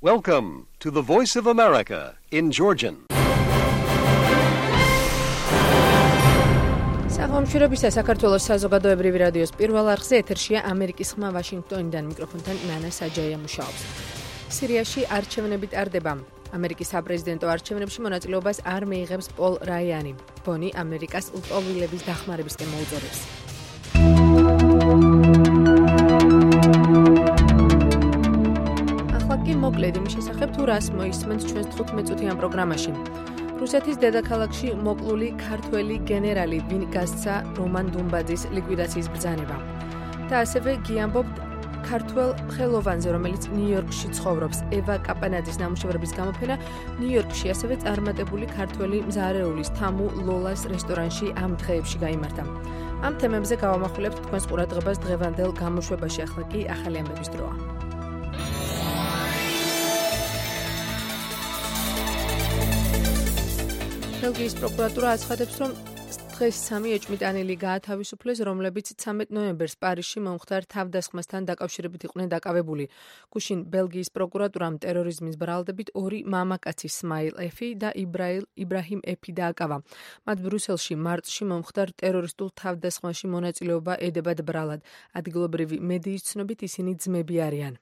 Welcome to the Voice of America in Georgian. სახელმწიფოებისა საქართველოს საზოგადოებრივი რადიოს პირველ არხზე ეთერშია ამერიკის ხმა ვაშინგტონიდან მიკროფონთან ნანა საჯაია მუშაობს. სირიაში არჩევნები ტარდება. ამერიკის საპრეზიდენტო არჩევნებში მონაწილეობას არ მიიღებს პოლ რაიანი. ბონი ამერიკას ლტოლვილების დახმარებისკენ მოუწოდებს. ახლა კი მოკლედ იმის შესახებ თუ რას მოისმენთ ჩვენს 15 წუთიან პროგრამაში. რუსეთის დედაქალაქში მოკლული ქართველი გენერალი ვინ გასცა რომან დუმბაძის ლიკვიდაციის ბრძანება. და ასევე გიამბობთ ქართველ ხელოვანზე, რომელიც ნიუ-იორკში ცხოვრობს, ევა კაპანაძის ნამუშევრების გამოფენა ნიუ-იორკში, ასევე წარმატებული ქართველი მზარეულის თამუ ლოლას რესტორანში ამ დღეებში გაიმართა. ამ თემებზე გავამახვილებთ თქვენს ყურადღებას დღევანდელ გამოშვებაში, ახლა კი ახალი ამბების დროა. ბელგიის პროკურატურა აცხადებს, რომ დღეს 3 ეჭვმიტანილი გაათავისუფლეს, რომლებიც 13 ნოემბერს პარიზში მომხდარ თავდასხმასთან დაკავშირებით იყვნენ დაკავებული. გუშინ ბელგიის პროკურატურამ ტერორიზმის ბრალდებით 2 მამაკაცი სმაილ ეფი და იბრაჰიმ ეფი დააკავა. მათ ბრუსელში მარტში მომხდარ ტერორისტულ თავდასხმაში მონაწილეობა ედებათ ბრალად. ადგილობრივი მედიის ცნობით ისინი ძმები არიან.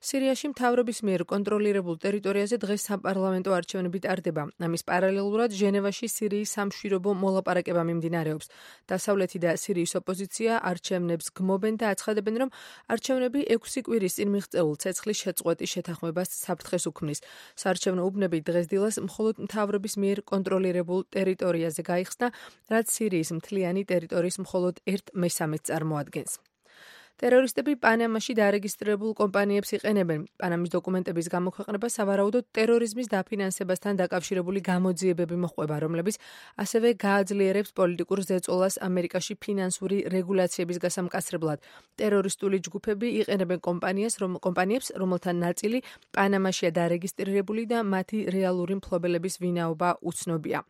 სირიაში მთავრობის მიერ კონტროლირებულ ტერიტორიაზე დღეს საპარლამენტო არჩევნები ტარდება. ამის პარალელურად ჟენევაში სირიის სამშვიდობო მოლაპარაკება მიმდინარეობს. დასავლეთი და სირიის ოპოზიცია არჩევნებს გმობენ და აცხადებენ, რომ არჩევნები 6 კვირის წინ მიღწეულ ცეცხლის შეწყვეტის შეთანხმებას საფრთხეს უქმნის. საარჩევნო უბნები დღესდილას მხოლოდ მთავრობის მიერ კონტროლირებულ ტერიტორიაზე გაიხსნა, რაც სირიის მთლიანი ტერიტორიის მხოლოდ 1/3 წარმოადგენს. ტერორისტები პანამაში დარეგისტრირებულ კომპანიებს იყენებენ. პანამის დოკუმენტების გამოქვეყნება სავარაუდოდ ტერორიზმის დაფინანსებასთან დაკავშირებული გამოძიებები მოჰყვება, რომლებიც ასევე გააძლიერებს პოლიტიკურ ზეწოლას ამერიკაში ფინანსური რეგულაციების გასამკაცრებლად. ტერორისტული ჯგუფები იყენებენ კომპანიებს, რომელთა ნაწილი პანამაშია დარეგისტრირებული და მათი რეალური მფლობელების ვინაობა უცნობია.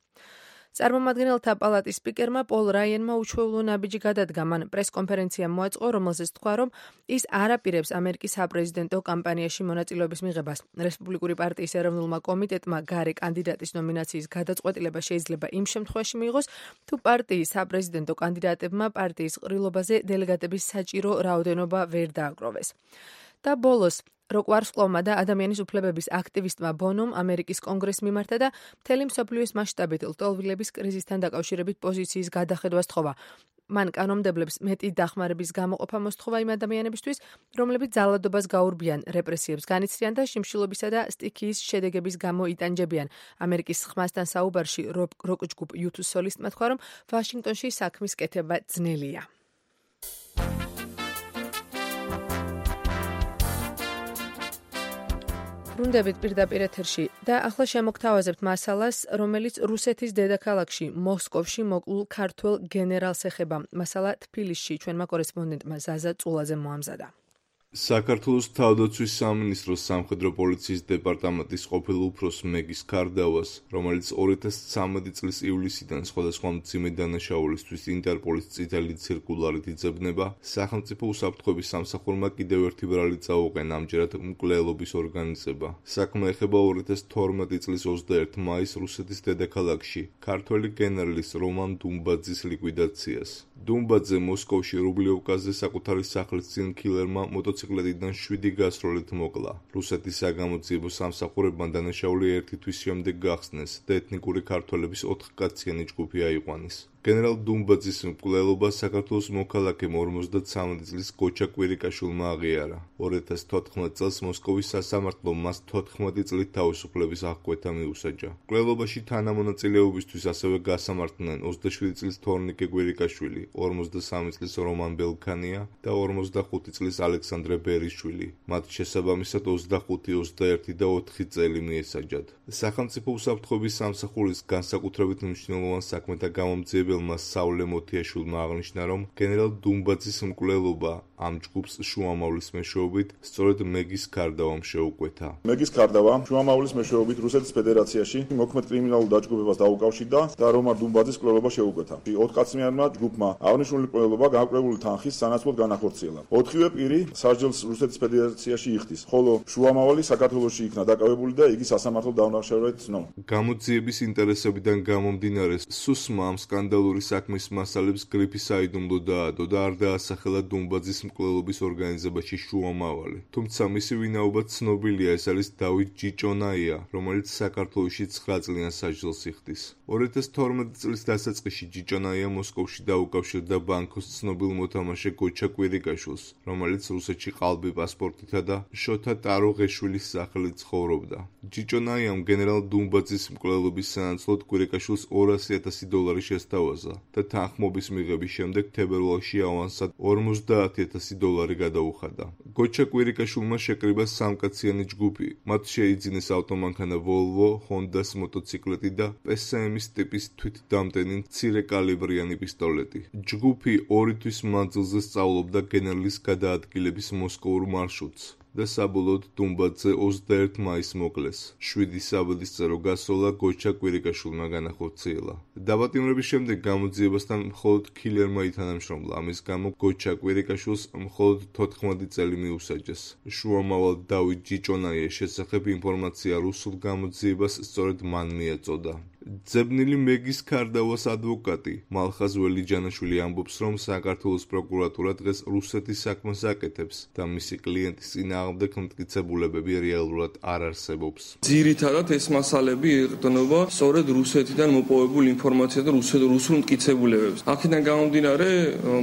წარმომადგენელთა პალატის სპიკერმა პოლ რაიანმა უჩვეულო ნაბიჯი გადადგა. მან პრესკონფერენცია მოაწყო, რომელზეც თქვა, რომ ის არ აპირებს ამერიკის საპრეზიდენტო კამპანიაში მონაწილეობის მიღებას. რესპუბლიკური პარტიის ეროვნულმა კომიტეტმა გარე კანდიდატის ნომინაციის გადაწყვეტილება შეიძლება იმ შემთხვევაში მიიღოს, თუ პარტიის საპრეზიდენტო კანდიდატებმა პარტიის ყრილობაზე დელეგატების საჭირო რაოდენობა ვერ დააგროვეს. და ბოლოს როკვარსკვლოვმა და ადამიანის უფლებების აქტივისტმა ბონომ ამერიკის კონგრესს მიმართა და მთელი მსოფლიოს მასშტაბით ლტოლვილების კრიზისთან დაკავშირებით პოზიციის გადახედვა სთხოვა. მან კანონმდებლებს მეტი დახმარების გამოყოფა მოსთხოვა იმ ადამიანებისთვის, რომლებიც ძალადობას გაურბიან, რეპრესიებს განიცდიან და შიმშილობისა და სტიქიის შედეგების გამო იტანჯებიან. ამერიკის ხმასთან საუბარში როკ ჯგუფ U2 სოლისტმა თქვა, რომ ვაშინგტონში საქმის კეთება ძნელია. ბრუნდებით პირდაპირ ეთერში და ახლა შემოგთავაზებთ მასალას, რომელიც რუსეთის დედაქალაქში მოსკოვში მოკლულ ქართველ გენერალს ეხება. მასალა თბილისში ჩვენმა კორესპონდენტმა ზაზა წულაძემ მოამზადა. საქართველოს თავდაცვის სამინისტროს სამხედრო პოლიციის დეპარტამენტის ყოფილ უფროს მეგის კარდავას, რომელიც 2013 წლის ივლისიდან სხვადასხვა მძიმე დანაშაულისთვის ინტერპოლის წითელი ცირკულარით იძებნება, სახელმწიფო უსაფრთხოების სამსახურმა კიდევ ერთი ბრალი წაუყენა, ამჯერად მკვლელობის ორგანიზება. საქმე ეხება 2012 წლის 21 მაისს რუსეთის დედაქალაქში ქართველი გენერლის რომან დუმბაძის ლიკვიდაციას. დუმბაძე მოსკოვში რუბლიოვკაზე საკუთარი სახლის წინ კილერმა მოტოციკლეტიდან 7 გასროლით მოკლა. რუსეთის საგამოძიებო სამსახურებმა დანაშაული ერთი თვის შემდეგ გახსნეს და ეთნიკური ქართველების 4 ჯგუფი აიყვანეს. გენერალ დუმბაძის მკვლელობა საქართველოს მოქალაქემ 53 წლის გოჩა კვირიკაშვილმა აღიარა. 2014 წელს მოსკოვის სასამართლომ მას 14 წლით თავისუფლების აღკვეთა მიუსაჯა. მკვლელობაში თანამონაწილეობისთვის ასევე გასამართლნენ 27 წლის თორნიკე კვირიკაშვილი, 53 წლის რომან ბელქანია და 45 წლის ალექსანდრე ბერიშვილი. მათ შესაბამისად 25, 21 და 4 წელი მიესაჯათ. სახელმწიფო უსაფრთხოების სამსახურის განსაკუთრებით მნიშვნელოვან საქმეთა გამომძიებელ მკვლელმა საულე მოთიაშვილმა აღნიშნა, რომ გენერალ დუმბაძის მკვლელობა ამ ჯგუფს შუამავლის მეშვეობით სწორედ მეგის ქარდავამ შეუკვეთა. მეგის ქარდავა შუამავლის მეშვეობით რუსეთის ფედერაციაში მოქმედ კრიმინალურ დაჯგუფებას დაუკავშირდა და რომარ დუმბაძის მკვლელობა შეუკვეთა. 4 კაცმიანმა ჯგუფმა აღნიშნული მკვლელობა გამკვლეული თანხის სანაცვლოდ განახორციელა. 4-ვე პირი სასჯელს რუსეთის ფედერაციაში იხდის, ხოლო შუამავალი საქართველოში იქნა დაკავებული და იგი სასამართლო დაუნახშევრად ცნო. გამოძიების ინტერესებიდან გამომდინარე, სუსმა ამ სკანდალური საქმის მასალებს გრიფი საიდუმლო დაადო და არ დაასახელა დუმბაძის მკვლელობის ორგანიზებაში შუამავალი. თუმცა მისი ვინაობა ცნობილია, ეს არის დავით ჯიჭონაია, რომელიც საქართველოში 9 წლიან სასჯელს იხდის. 2012 წლის დასაწყისში ჯიჭონაია მოსკოვში დაუკავშირდა ბანკოს ცნობილ მოთამაშე გოჩა კვირიკაშვილს, რომელიც რუსეთში ყალბი პასპორტითა და შოთა ტაროღეშვილის სახელით ცხოვრობდა. ჯიჭონაიამ გენერალ დუმბაძის მკვლელობის სანაცვლოდ კვირიკაშვილს $200,000 შესთავაზა და თანხმობის მიღების შემდეგ თებერვალში ავანსად $50,000 გადაუხადა. გოჩა კვირიკაშვილმა შეკრიბა 3-კაციანი ჯგუფი. მათ შეიძინეს ავტომანქანა Volvo, Honda-ს მოტოციკლეტი და PSM-ის ტიპის თვითდამტენი მცირე კალიბრიანი პისტოლეტი. ჯგუფი 2 თვის მანძილზე სწავლობდა გენერლის გადაადგილების მოსკოვურ მარშრუტს და საბოლოოდ დუმბაძე 21 მაისს მოკლეს. 7 საბედისწერო გასვლა გოჩა კვირიკაშვილმა განახორციელა. დაბატიმრების შემდეგ გამოძიებასთან მხოლოდ ქილერმა ითანამშრომლა. ამის გამო გოჩა კვირიკაშვილს მხოლოდ 14 წელი მიუსაჯეს. შუამავალ დავით ჯიჭონაიას შესახებ ინფორმაცია რუსულ გამოძიებას სწორედ მან მიეწოდა. ძებნილი მეგის ქარდავას ადვოკატი მალხაზ ველიჯანაშვილი ამბობს, რომ საქართველოს პროკურატურა დღეს რუსეთის საქმეს აკეთებს და მისი კლიენტის წინააღმდეგ მტკიცებულებები რეალურად არ არსებობს. ძირითადად ეს მასალები ეყრდნობა სწორედ რუსეთიდან მოპოვებულ ინფორმაციას და რუსულ მტკიცებულებებს. აქედან გამომდინარე,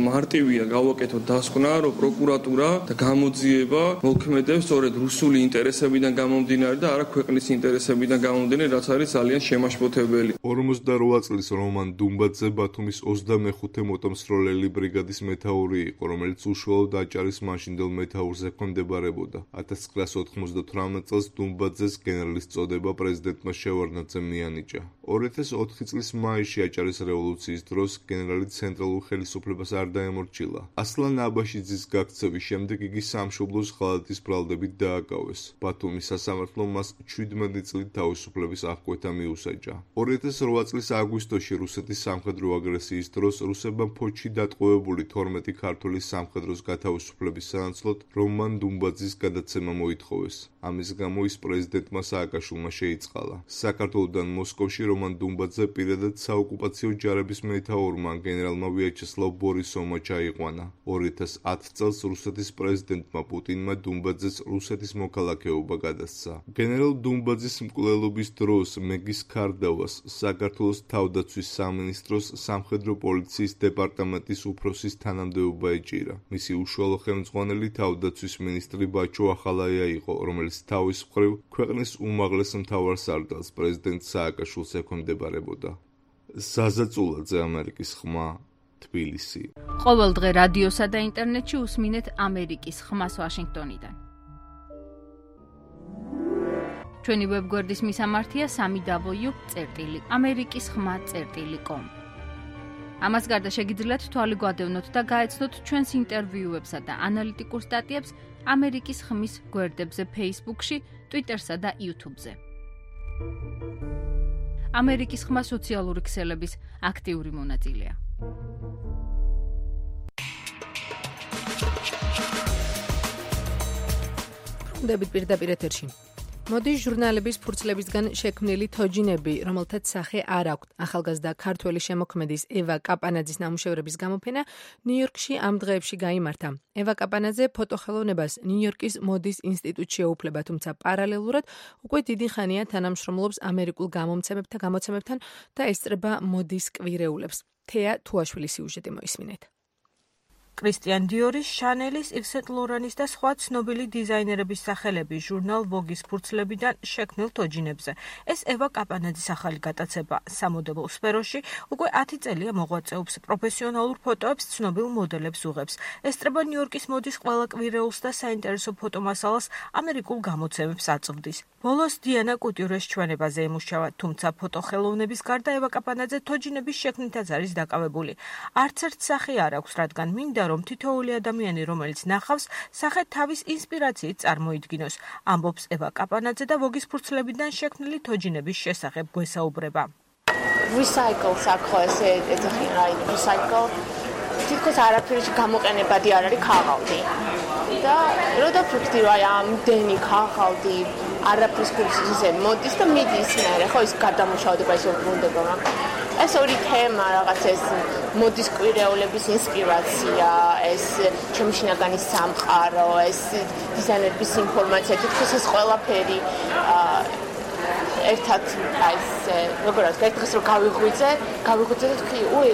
მარტივია გავაკეთოთ დასკვნა, რომ პროკურატურა და გამოძიება მოქმედებს სწორედ რუსული ინტერესებიდან გამომდინარე და არა ქვეყნის ინტერესებიდან გამომდინარე, რაც არის ძალიან შემაშფოთებელი. 48 წლის რომან დუმბაძე ბათუმის 25 მოტომსროლელი ბრიგადის მეთაური იყო, რომელიც უშუალოდ აჭარის მაშინდელ მეთაურზე ჰქონდებარებოდა. 1998 წელს დუმბაძეს გენერლის წოდება პრეზიდენტმა შევარდნაძემ მიანიჭა. 2004 წლის მაისში აჭარის რევოლუციის დროს გენერალი ცენტრალურ ხელისუფლებას არ დაემორჩილა. ასლან აბაშიძის გაქცევის შემდეგ იგი სამშობლოს ღალატის ბრალდებით დააკავეს. ბათუმის სასამართლომ მას 17 წლით თავისუფლების აღკვეთა მიუსაჯა. 2008 წლის აგვისტოში რუსეთის სამხედრო აგრესიის დროს რუსებმა ფოთში დატყვევებული 12 ქართველი სამხედროს გათავისუფლების სანაცვლოდ რომან დუმბაძის გადაცემა მოითხოვეს. ამის გამო ის პრეზიდენტმა სააკაშვილმა შეიწყალა. საქართველოდან მოსკოვში რომან დუმბაძე პირადად საოკუპაციო ჯარების მეთაურმა გენერალმა ვიაჩესლავ ბორისოვმა ჩაიყვანა. 2010 წელს რუსეთის პრეზიდენტმა პუტინმა დუმბაძეს რუსეთის მოქალაქეობა გადასცა. გენერალ დუმბაძის მკვლელობის დროს მეგის ქარდავას საქართველოს თავდაცვის სამინისტროს სამხედრო პოლიციის დეპარტამენტის უფროსის თანამდებობა ეჭირა. მისი უშუალო ხელმძღვანელი თავდაცვის მინისტრი ბაჩო ახალაია იყო, რომელიც თავის მხრივ ქვეყნის უმაღლეს მთავარსარდალს პრეზიდენტ სააკაშვილს ექვემდებარებოდა. ზაზა წულაძე, ამერიკის ხმა, თბილისი. ყოველ დღე რადიოსა და ინტერნეტში უსმინეთ ამერიკის ხმას ვაშინგტონიდან. ჩვენი ვებგვერდის მისამართია www.amerikiskhma.com. ამას გარდა შეგიძლიათ თვალი გვადევნოთ და გაეცნოთ ჩვენს ინტერვიუებსა და ანალიტიკურ სტატიებს ამერიკის ხმის გვერდებზე Facebook-ში, Twitter-სა და YouTube-ზე. ამერიკის ხმა სოციალური ქსელების აქტიური მონაწილეა. დებით პირდაპირ ეთერში. მოდის ჟურნალების ფურცლებისგან შექმნილი თოჯინები, რომელთაც სახე არ აქვთ. ახალგაზრდა ქართველი შემოქმედის ევა კაპანაძის ნამუშევრების გამოფენა ნიუ-იორკში ამ დღეებში გაიმართა. ევა კაპანაძე ფოტოხელოვნებას ნიუ-იორკის მოდის ინსტიტუტში ეუფლება, თუმცა პარალელურად უკვე დიდი ხანია თანამშრომლობს ამერიკულ გამოცემებთან და ესწრება მოდის კვირეულებს. თეა თუაშვილის სიუჟეტი მოისმინეთ. კრისტიან დიორის, შანელის, იվ სენ ლორანის და სხვა ცნობილი დიზაინერების სახელები ჟურნალ ვოგის ფურცლებიდან შექმნილ თოჯინებზე. ეს ევა კაპანაძის ახალი გატაცება სამოდელო სფეროში უკვე 10 წელია მოღვაწეობს, პროფესიონალურ ფოტოებს ცნობილ მოდელებს უღებს. ესწრება ნიუ-იორკის მოდის ყველა კვირეულს და საინტერესო ფოტომასალას ამერიკულ გამოცემებს აწვდის. ბოლოს დიანა კუტიურეს ჩვენებაზე ემუშავა, თუმცა ფოტოხელოვნების გარდა ევა კაპანაძე თოჯინების შექმნითაც არის დაკავებული. არც ერთ სახე არ აქვს, რადგან მინდა რომ თითოეული ადამიანი, რომელიც ნახავს, სახე თავის ინსპირაციით წარმოიდგინოს, ამბობს ევა კაპანაძე და ვოგის ფურცლებიდან შექმნილი თოჯინების შესახებ გვესაუბრება. Recycle-ს აქ ესე ეძახიან, აი recycle თითქოს არაფერში გამოყენებადი არ არის ქაღალდი. და როდა ფიქრდი რომ აი ამდენი ქაღალდი არაფრის კურსის ისე მოდის და მიდის მერე, ხო ის გადამუშავდება ის უბრუნდება, მაგრამ ეს ორი თემა რაღაც ეს მოდის კვირეულების ინსპირაცია, ეს ჩემი შინაგანი სამყარო, ეს დიზაინერების ინფორმაცია, თითქოს ეს ყველაფერი ერთად აი ეს როგორ არის, ერთ დღეს რომ გავიღვიძე და თქვი, უი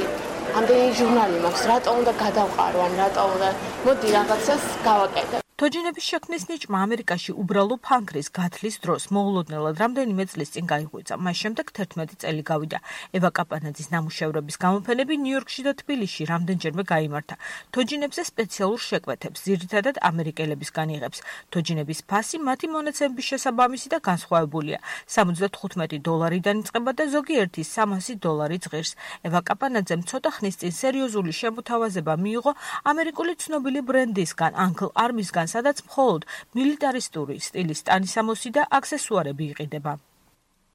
ამდენი ჟურნალი მაქვს, რატო უნდა გადავყარო, ან რატო უნდა მოდი რაღაცას გავაკეთებ. თოჯინების შექმნის ნიჭმა ამერიკაში უბრალო ფანქრის გათლის დროს მოულოდნელად რამდენიმე წლის წინ გაიღვიძა. მას შემდეგ 11 წელი გავიდა. ევა კაპანაძის ნამუშევრების გამოფენები ნიუ-იორკში და თბილისში რამდენჯერმე გაიმართა. თოჯინებზე სპეციალურ შეკვეთებს ძირითადად ამერიკელებისგან იღებს. თოჯინების ფასი მათი მონაცემების შესაბამისი და განსხვავებულია. $75-დან იწყება და ზოგიერთი $300 ღირს. ევა კაპანაძემ ცოტა ხნის წინ სერიოზული შემოთავაზება მიიღო ამერიკული ცნობილი ბრენდისგან, Uncle Army-სგან, სადაც მხოლოდ მილიტარისტური სტილის ტანისამოსი და აქსესუარები იყიდება.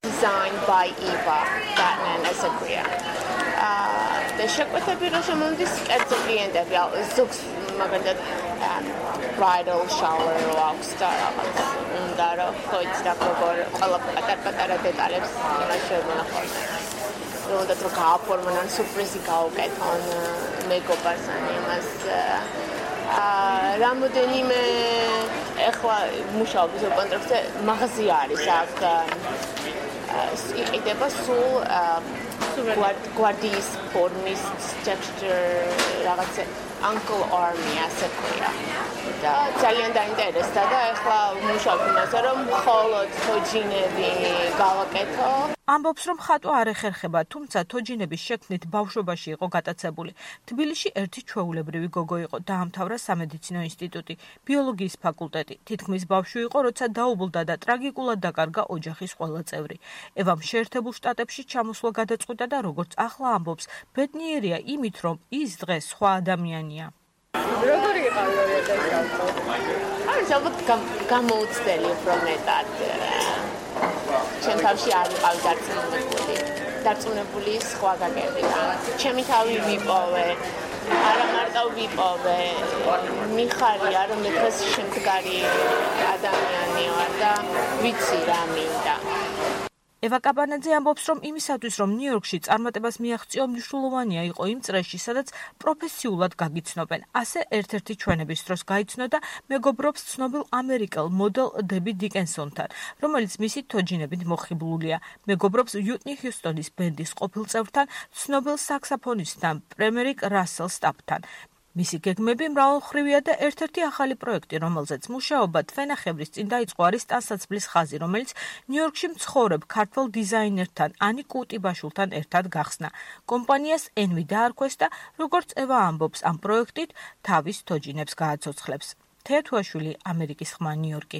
Designed by Eva Batman as a Korea. და შეკვეთები რო შემოდის კერძო კლიენტები, ზოგს მაგალითად bridal shower რო აქვს და რაღაც უნდა რომ ხოიც და როგორ ყველა პატარ-პატარა დეტალებს იმაშევნა ხოლმე. უნდა რომ გააფორმონ ან სურპრიზი გაუკეთონ მეკოპას ან იმას რამოდენიმე ეხლა მუშაობის კონტრაქტზე მაღაზია არის აქ იყიდება სულ გვარდიის ფორმის texture რაღაცა Uncle Army ასე ქვია და ძალიან დაინტერესდა და ეხლა მუშაობ იმაზე რომ მხოლოდ თოჯინები გავაკეთო. ამბობს რომ ხატვა არ ეხერხება, თუმცა თოჯინების შექმნით ბავშვობაში იყო გატაცებული. თბილისში ერთი ჩვეულებრივი გოგო იყო, დაამთავრა სამედიცინო ინსტიტუტი, ბიოლოგიის ფაკულტეტი. თითქმის ბავშვი იყო, როცა დაუბლდა და ტრაგიკულად დაკარგა ოჯახის ყველა წევრი. ევამ შეერთებულ შტატებში ჩამოსვლა გადაწყვიტა და როგორც ახლა ამბობს, ბედნიერია იმით, რომ ის დღეს სხვა ადამიანია. როგორი იყავი 2000 წელს? არის ალბათ გამოუცდელი უფრო მეტად. ჩემ თავში არ ვიყავი დარწმუნებული სხვა გაგებიდან. ჩემი თავი ვიპოვე, არა მარტო ვიპოვე, მიხარია რომ მე დღეს შემდგარი ადამიანი ვარ და ვიცი რა მინდა. ევა კაპანაძე ამბობს, რომ იმისათვის, რომ ნიუ-იორკში წარმატებას მიაღწიო, მნიშვნელოვანია იყო იმ წრეში, სადაც პროფესიულად გაგიცნობენ. ასე ერთ-ერთი ჩვენების დროს გაიცნო და მეგობრობს ცნობილ ამერიკელ მოდელ დები დიკენსონთან, რომელიც მისი თოჯინებით მოხიბლულია. მეგობრობს უიტნი ჰიუსტონის ბენდის ყოფილ წევრთან, ცნობილ საქსაფონისტთან პრემერიკ რასელ სტაპთან. მისი გეგმები მრავალმხრივია და ერთ-ერთი ახალი პროექტი, რომელზეც მუშაობა თვენახევრის წინ დაიწყო, არის ტანსაცმლის ხაზი, რომელიც ნიუ-იორკში მცხოვრებ ქართველ დიზაინერთან ანი კუტიბაშვილთან ერთად გახსნა. კომპანიას ენვი დაარქვეს და როგორც ევა ამბობს, ამ პროექტით თავის თოჯინებს გააცოცხლებს. თეა თუაშვილი, ამერიკის ხმა, ნიუ-იორკი.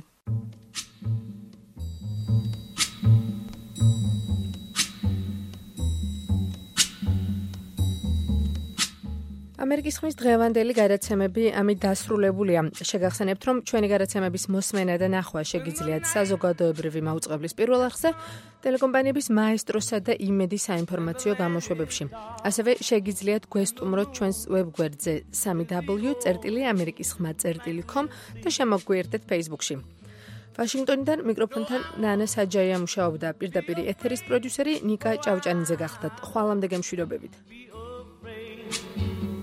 ამერიკის ხმის დღევანდელი გადაცემები ამით დასრულებულია. შეგახსენებთ, რომ ჩვენი გადაცემების მოსმენა და ნახვა შეგიძლიათ საზოგადოებრივი მაუწყებლის პირველ არხზე, ტელეკომპანიების მაესტროსა და იმედის საინფორმაციო გამოშვებებში. ასევე შეგიძლიათ გვესტუმროთ ჩვენს ვებგვერდზე www.amerikiskhma.com და შემოგვიერთდეთ Facebook-ში. ვაშინგტონიდან მიკროფონთან ნანა საჯაია მუშაობდა, პირდაპირ ეთერის პროდიუსერი ნიკა ჭავჭანიძე გახდათ. ხვალამდე გემშვიდობებით.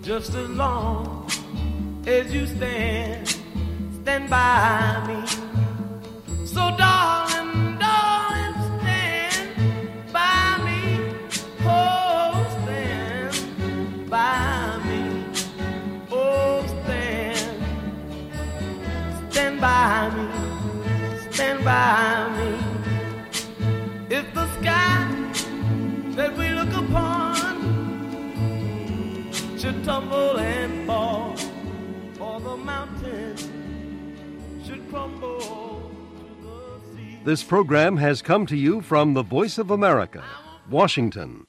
Just as long as you stand by me. So darling, stand by me. Oh, stand by me. Oh, stand by me. Stand by me. If the sky that we look upon should tumble and fall, or the mountain should crumble to the sea. This program has come to you from the Voice of America, Washington.